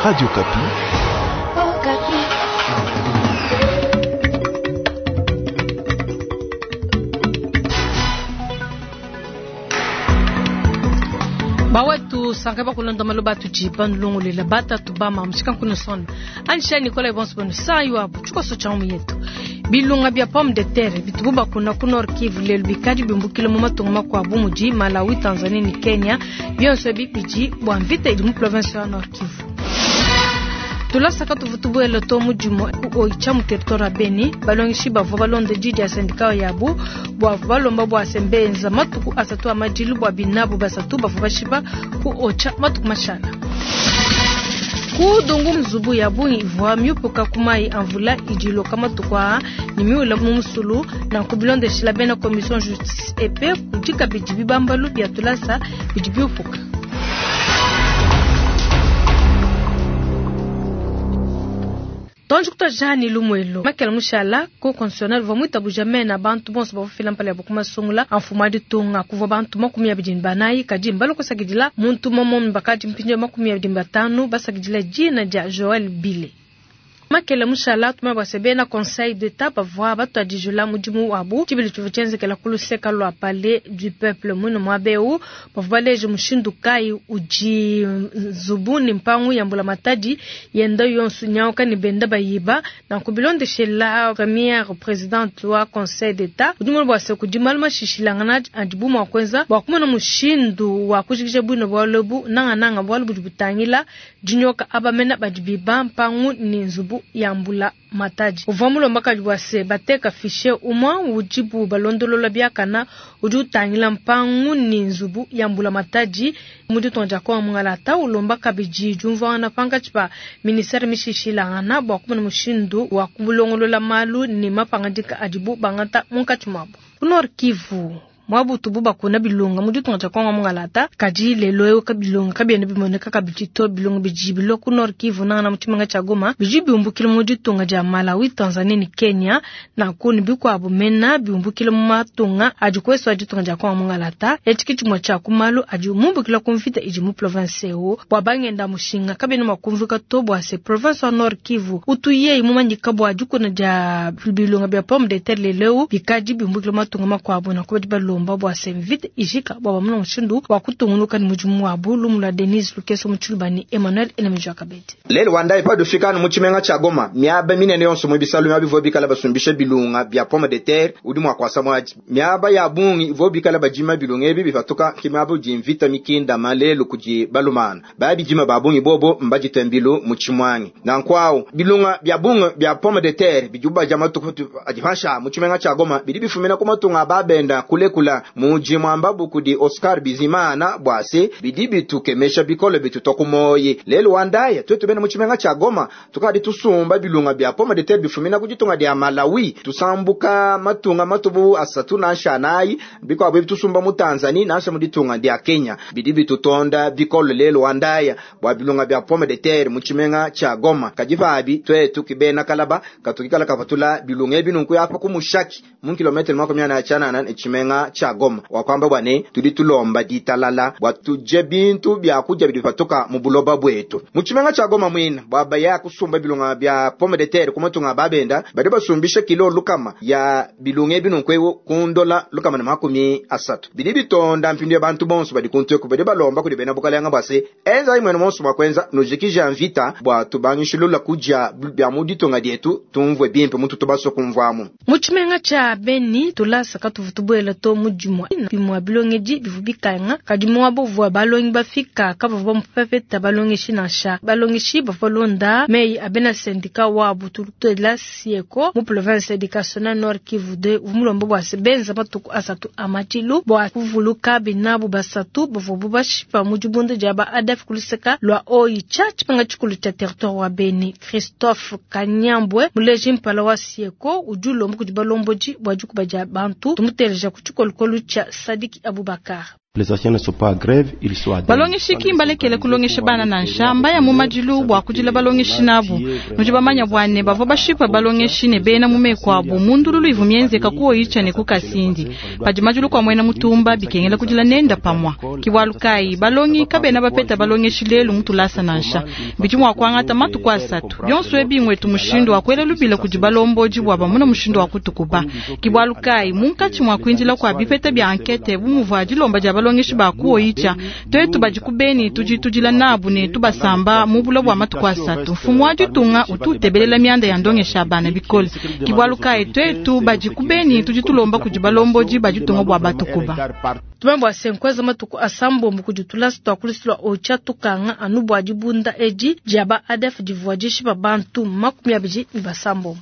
Radio Okapi. Bawetu sanka bakulonda maloba atudi banulongolela batatu bama mushikankuno sona anisha Nicolas bonso banu sayo abu tshikoso tsha mu yetu. Bilunga bia pomme de terre bitubu bakuna ku Nord Kivu lelu bikadi bimbukile mu matunga makuabu mudi Malawi, Tanzanie ne Kenya, bionso ebi bidi bua mvita idi mu province ya Nord Kivu. Tulasa katuvua tubuela to mu dimue ku Oicha mu territoire ya Beni, balongeshi bavua balonda di dia syndicat yabu bua balomba bua se mbenza matuku asatu a madilu bua binabu basatu bavua bashipa ku Oicha matuku mashala. Ku Dungu nzubu ya bungi ivua miupuka ku mayi a mvula idi iloka matuku aa ne miula mu musulu, nanku bilondeshila bena commission justice et paix kudi kabidi bibambalu bia tulasa bidi biupuka. Tonji kutuadija ne lumuelo Makela mushala ko constitutionnel uvua muitabuja mena bantu bonso bavua fila mpala yabu ku masungula a mfumu a ditunga. Kuvua bantu 24, kadi mbalue kusakidila muntu umue bakadi mpindieu 25 basakidila dina dia Joel Bile. Makela mushala tumanya bua se bena Conseil d'Etat bavua batuadijula mudimu wabu tshibilu tshivua tshienzekela ku luseka lua Palais du Peuple muine muaba eu. Bavua baleje mushindu kayi udi nzubu ne mpangu ya mbulamatadi yenda yonso nyauka ne benda bayiba. Nanku bilondeshela première presidente wa Conseil d'Etat udi mumanye bua se kudi malu mashishilangana adibu mua kuenza bua kumona mushindu wa kujikija buine bualu ebu, nangananga bualu budi butangila dinyoka aba mena badi biba mpangu ne nzubu ya mbulamatadi. Uvua mulomba kabidi bua se bateka fichier umue udibu balondolola biakana udi utangila mpangu ne nzubu ya mbulamatadi mu ditunga dia Kongo Mungalata. Ulomba kabidi diumvuangana pankatshi pa ministere mishishilangana bua kumona mushindu wa kulongolola malu ne mapangadika adibu bangata munkatshi muabu. Ku Nord Kivu muabu utubu bakuna bilonga mu ditunga dia Kongo Mungalata, kadi lelo eu bilonga kabiena bimoneka kabidi to. Bilonga bidi bilua ku Nord Kivu nangana mu tshimenga tshia Goma bidi biumbukile mu ditunga dia Malawi, Tanzanie ne Kenya, nanku ne bikuabu mena biumbukile mu matunga adi kuesu a ditunga dia Kongo Mungalata. Etshi ke tshimue tshia ku malu adi mumbukila ku mvita idi mu province eu. Bua bangenda mushinga kabiena mua kumvuika to bua se province wa Nord Kivu utu yeye mumanyika bua dikuna dia bilonga bia pomme de terre lelo eu bikadi biumbukile mu matunga makuabu, nanku badi balomba bua se mvita ijika bua bamona mushindu wa kutungunuka ne mudimu wabu. Lumu lua Denise Lukeso mu Tshiluba ne Emmanuel Enemejua Kabedi. Lelu wa ndai padi ufika anu mu tshimenga tshia Goma, miaba minene yonso mu bisalu miaba ivua bikala basumbisha bilunga bia pomme de terre udi mua kuasa muadi. Miaba ya bungi ivua bikala badima bilunga ebi bipatuka ke miaba udi mvita mikindama lelu kudi balumana. Ba bidima ba bungi bobo mbaditue mbilu mu tshimuangi. Nanku au bilunga bia bungi bia pomme de terre bidibu badia matuku adi panshi aa mu tshimenga tshia Goma bidi bifumina ku matunga a babenda kulekula mudi muambabu kudi Oscar Bizimana bua se bidi bitukemesha bikole bitutua ku muoyi. Lelu wa ndaya tuetu bena mu tshimenga tshia Goma tukadi tusumba bilunga bia pomme de terre bifumina ku ditunga dia Malawi, tusambuka matunga matubu asatu nansha anayi, bikuabu ebi tusumba mu Tanzanie nansha mu ditunga dia Kenya. Bidi bitutonda bikole lelu wa ndaya bua bilunga bia pomme de terre mu tshimenga tshia Goma. Kadi pabi tuetu ki bena kalaba katukikala kapatula bilunga ebi nunku apa ku Mushaki mu kilometre makumi anayi a tshianana ne tshimenga tshia Goma. Wakuamba bua ne tudi tulomba ditalala bua tudie bintu bia kudia bidi bipatuka mu buloba buetu. Mu tshimenga tshia Goma muine bua baya kusumba bilunga bia pomme de terre ku matunga a babenda, badi basumbisha kilo lukama ya bilunga ebi nunku eu ku ndola 130. Bidi bitonda mpindieu bantu bonso badi kuntu eku badi balomba kudi bena bukalenge bua se enzayi muenu monso mua kuenza nujikija mvita bua tubangishilula kudia bia mu ditunga dietu, tumvue bimpe mututu basue kumvuamu. Mu tshimenga tshia Beni tulasa katuvua tubuela to mu dimue bimue bilongedi bivua bikanga, kadi muaba uvua balongi bafika kabavua bapeta balongeshi nansha. Balongeshi bavua balonda meyi a bena sendika wabu tutuela Sieko mu province educationnelle Nord Kivu 2 uvua mulomba bua se benza matuku asatu a madilu bua kuvuluka binabu basatu bavuabu bashipa mu dibunda dia ba ADF ku luseka lua Oicha, tshimenga tshikulu tshia territoire wa Beni. Christophe Kanyambwe muleji mpala wa Sieko udi ulomba kudi balombodi bua dikuba dia bantu, tumuteleja ku tshikolokolo tshia Sadiki Abubakar. Balongeshi ki mbalekele kulongesha bana nansha, mbaya mu madilu bua kudila balongeshi nabu. Nudi bamanya bua ne bavua bashipa balongeshi ne bena mu meku abu mu ndululu ivua mienzeka ku Oicha ne ku Kasindi. Padi madilu kua muena mutumba bikengela kudila nenda pamua. Ki bualu kayi balongi kabena bapeta balongeshi lelu mu tulasa nansha. Bidi mua kuangata matuku asatu. Bionso ebi ngwetu mushindu wa kuela lubila kudi balombodi bua bamona mushindu wa kutukuba. Ki bualu kayi munkatshi mua kuindila kua bipeta bia ankete bu muvua dilomba dia balongeshi ba ku Oicha, tuetu badi ku Beni tudi tudila nabu ne tubasamba mu bula bua matuku asatu. Mfumu wa ditunga utu utebelela mianda ya ndongesha bana bikole. Ki bualu kayi tuetu badi ku Beni tudi tulomba kudi balombodi ba ditunga bua batukuba. Tumanye bua se nkuenza matuku asambombo kudi tulasa tua ku lusu lua Oicha tukanga anu bua dibunda edi dia ba ADF divua dishipa bantu 26.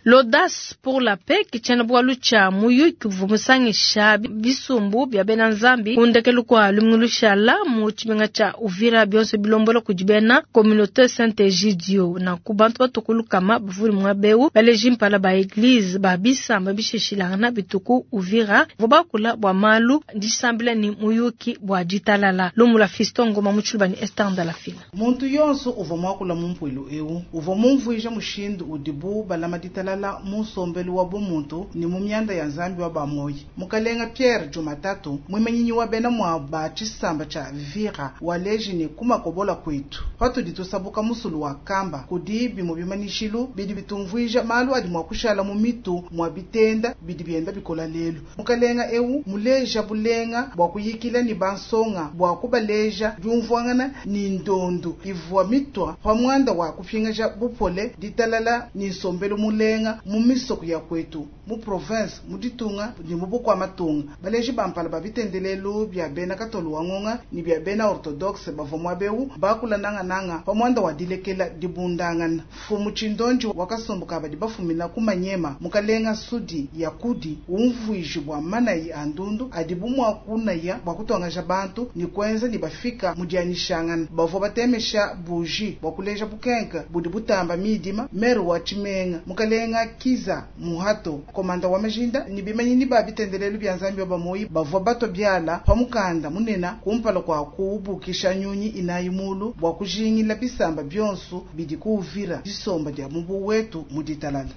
L'audace pour la paix ke tshiena-bualu tshia muyuki uvua musangisha bisumbu bia bena Nzambi ku ndekelu kua lumingu lushala mu tshimenga tshia Uvira, bionso bilombola kudi bena Communauté Saint Egidio. Nanku bantu batue ku lukama bavule muaba eu, baleji mpala ba eglise ba bisamba bishilashilangana bitu ku Uvira, bavua bakula bua malu disambila ne muyuki bua ditalala. Lumu lua Fiston Ngoma mu Tshiluba ne Esther Ndalafina. Muntu yonso uvua muakula mu mpuilu eu uvua mumvuija mushindu udibu balama ditalala mu nsombelu wa bumuntu ne mu mianda ya Nzambi wa ba-muoyi. Mukalenga Pierre Jumatatu, muimanyinyi wa bena muabu ba tshisamba tshia Vira, waleji ne, ku makobola kuetu, patudi tusabuka musulu wa Kamba, kudi bimue bimanyishilu bidi bitumvuija malu adi mua kushala mu mitu mua bitenda bidi bienda bikola lelu. Mukalenga eu muleja bulenga bua kuyikila ne bansonga bua kubaleja diumvuangana ne ndondu ivua mitua pa muanda wa kupingaja bupole, ditalala ne nsombelu mulenga mu misoko ya kuetu, mu province, mu ditunga ne mu bukua-matunga. Baleji ba mpala ba bitendelelu bia bena Katolu wa Ngonga ne bia bena Ortodokse bavua muaba eu bakula nangananga pa muanda wa dilekela dibundangana. Mfumu Tshindonji wa kasumbu ka badi bafumina ku Manyema, Mukalenga Sudi Yakudi, umvuiji bua manayi a ndundu adibu mua kunaya bua kutuangaja bantu ne kuenza ne bafika mu dianyishangana. Bavua batemesha buji bua kuleja bukenke budi butamba midima. Maire wa tshimenga, Mukalenga Kiza Muhato, komanda wa majinda ne bimanyinyi ba bitendelelu bia Nzambi wa bamoyi bavua batua biala pa mukanda munene kumpala kua kuubukisha nyunyi inayi mulu bua kujingila bisamba bionso bidi ku Uvira disomba dia mubu wetu mu ditalala.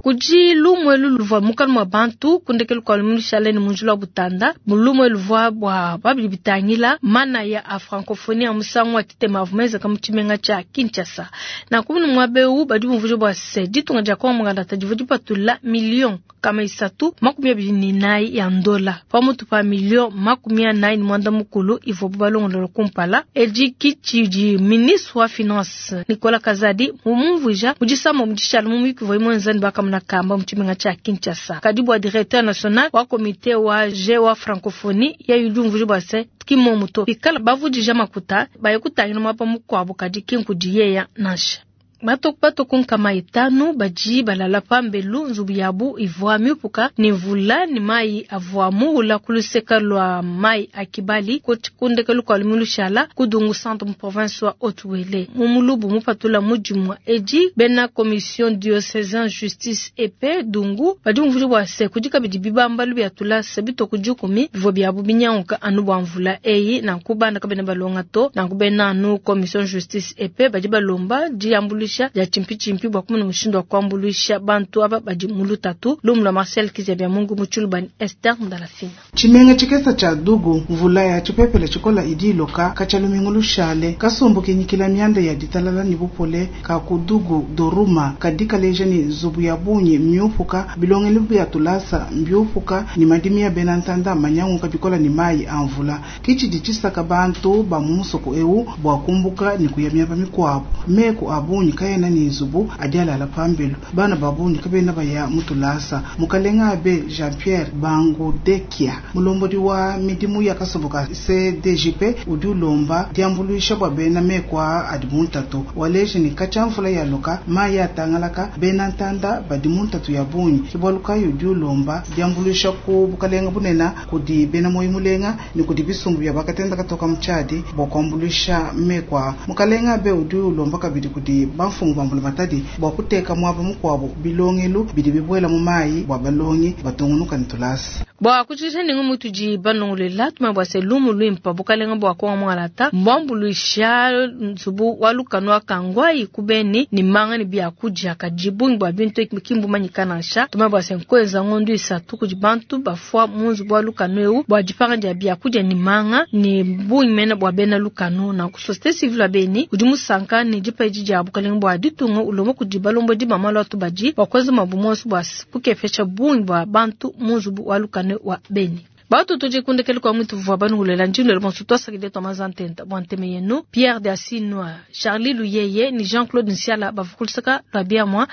Kudi lumue luvua mukana mua bantu ku ndekelu kua lumingu lushale ne mu njila wa Butanda. Lumue luvua bua babidi bitangila manaya a francophonie a musangu wa tshitema avua menzeka mu tshimenga tshia Kinshasa. Nanku munu muaba eu badi bumvuija bua se ditunga dia Congo Mungalata divua dipatula miliyo 324 ya ndola pamutu pa miliyo 45 ivuabu balongolola kumpala. Edi ki tshidi ministre wa finance Nicolas Kazadi mumvuija mu disamba mu dishala mu muyuki uvuaye muenza ne bakamona kamba mu tshimenga tshia Kinshasa. Kadi bua directeur national wa comite wa G wa francophonie yeye udi umvuija bua se ki mmuomu to, bikala bavudija makuta baye kutangila muaba mukuabu kadi ki nkudi yeya nansha. Batoku batoku 500 badi balala pambelu, nzubu yabu ivua miupuka ne mvula ne mayi avua muula ku luseka lua mayi a Kibali ku ndekelu kua lumingu lushala ku Dungu Centre mu province wa Haut-Uele. Mu mulubu mupatula mu dimua edi, bena commission diocesain justice et paix Dungu badi bumvuija bua se kudi kabidi bibambalu bia tulasa bitoku 10 bivua biabu binyanguka anu bua mvula eyi, nanku bana kabena balonga to. Nanku bena anu commission justice et paix badi balomba diambuluisha dia tshimpitshimpi bua kumona mushindu wa kuambuluisha bantu aba badi mu lutatu. Lumu lua Marcel Kizabia Mungu mu Tshiluba ne Esther Ndalafina. Tshimenga tshikesa tshia Dugu, mvula ya tshipepele tshikola idi iloka katshia lumingu lushale. Kasumbu kinyikila mianda ya ditalala ne bupole ka ku Dugu Doruma kadi kaleja ne nzubu ya bungi miupuka, bilongelu bia tulasa mbiupuka ne madimi ya bena ntanda manyanguka bikola ne mayi a mvula. Ke tshidi tshisaka bantu ba mu musoko eu bua kumbuka ne kuya miaba mikuabu. Meku a bungi kaena ne nzubu adi alala pambelu. Bana ba bungi kabena baya mu tulasa. Mukalenga Abe Jean-Pierre Bangudekia, mulombodi wa midimu ya kasumbu ka CDJP, udi ulomba diambuluisha bua bena meku aa adi mu ntatu. Waleji ne katshia mvula yaloka, mayi atangalaka, bena ntanda badi mu ntatu ya bungi. Ke bualu kayi udi ulomba diambuluisha ku bukalenga bunene kudi bena muoyo mulenga ne kudi bisumbu bia bakatenda katoka mu tshiadi bua kuambuluisha meku aa. Mukalenga Abe udi ulomba kabidi kudi ba. bamfumu ba mbulamatadi bua kuteka muaba mukuabu bilongelu bidi bibuela mu mayi bua balongi batungunuka ne tulasa. Bua kujikija ne ngumu itudi banongoluela, tumanye bua se lumu luimpa bukalenga bua Kongo Mwangalata mbuambuluisha nzubu wa lukanu wa Kangwai ku Beni ne manga ne biakudia, kadi bungi bua bintu ebi ki mbumanyika nansha. Tumanye bua se nkuenza ngondu isatu kudi bantu bafua mu nzubu wa lukanu eu bua dipanga dia biakudia ne manga ne bungi mene bua bena lukanu. Nanku societe civile wa Beni udi musanka ne dipa edi dia bukalenga bua ditunga ulomba kudi balombodi ba malu a tubadi bua kuenza muabu muonso bua kukepesha bungi bua bantu mu nzubu wa lukanu wa Beni. Batu tudi kundekelu kua mutu vua banuhulela ndindu bonso twasakidile tua mazantenta bua nteme yenu Pierre de Asinwa, Charlie Luyeye ni Jean-Claude Nsiala bavukulusaka lua biamua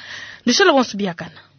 ndushala bonso biakana.